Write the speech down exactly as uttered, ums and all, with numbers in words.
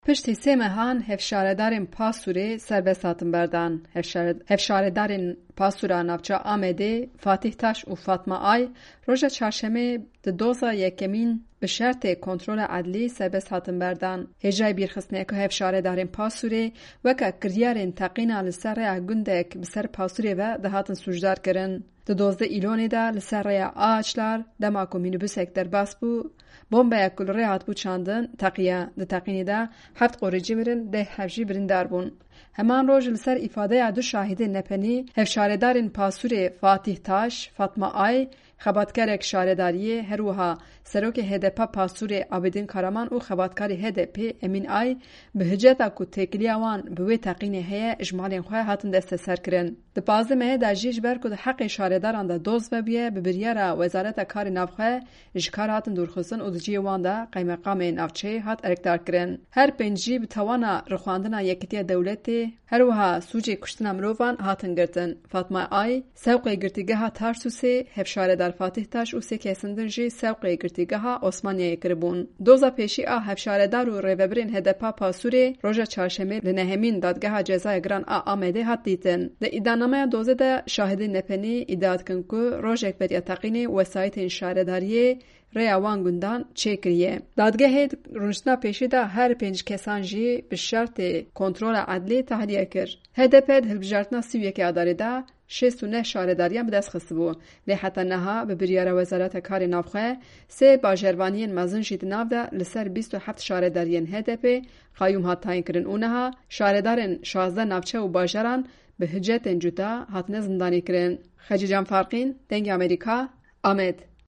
Piştî sê mehan hevşaredarên Pasûrê serbest hatin berdan. Hevşare-, hevşaredarên Pasûra navça Amedê, Fatîh Taş û Fatma Ay, roja çarşemê di doza yekemîn bi şertê kontrola edlî serbest hatin berdan. Hêjayî bîrxistinê ku hevşaredarên Pasûrê weke kiryarên teqîna li ser rêya gundek bi ser Pasûrê ve dihatin sûcdar kirin. Di dozdeh Îlonê de li ser rêya Ağaçlar, dema ku mînîbusek derbas bû, bombeyek ku li rê hatibû çandin, teqiye. Di teqînê de heft qorîcî mirin, deh hev jî birîndar bûn. Heman roj li ser îfadeya du şahidên nepenî, hevşaredarên Pasûrê Fatîh Taş, Fatma Ay, xebatkarek şaredariyê, her wiha serokê H D P Pasûrê Abidin Karaman û xebatkarê H D P Emîn Ay, bi hiceta ku têkiliya wan bi wê teqînê heye, ji malên xwe hatin desteserkirin. Di pazdeh mehê de jî ji ber ku di heqê şaredaran de doz vebûye, bi biryara Wezareta Karê Navxwe ji kar hatin dûrxistin û di cihê wan de qeymeqamê navçeyê hat erkdarkirin. Her pênc jî bi tawana rixwandina Yekîtiya Dewletê, her wiha sûcê kuştina mirovan hatin girtin. Fatma Ay, sewqê girtîgeha Tarsûsê, hevşaredar Fatîh Taş û sê kesên din jî sewqê girtîgeha Osmaniyeyê kiribûn. Doza pêşî a hevşaredar û rêvebirên H D P Pasûrê roja çarşemê li nehemîn Dadgeha Cezaya Giran a Amedê hat dîtin. Di îddianameya dozê de şahidên nepenî îdia dikin ku rojek beriya teqînê wesayîtên şaredariyê rêya wan gundan çêkiriye. Dadgehê di rûniştina pêşî de her pênc kesan jî bi şertê kontrola edlî tahliye kir. H D P di hilbijartina sî û yekê Adarê de şêst û neh şaredariyan bi dest xistibû. Lê heta niha bi biryara Wezareta Karê Navxwe sê bajarvaniyên mezin jî di nav de li ser bîst û heft şaredariyên H D P qeyûm hat tayînkirin û niha şaredarên şazdeh navçe û bajaran bi hicetên cuda hatine zindanîkirin. Xecîcan Farqîn, Dengê Amerîka, Amed.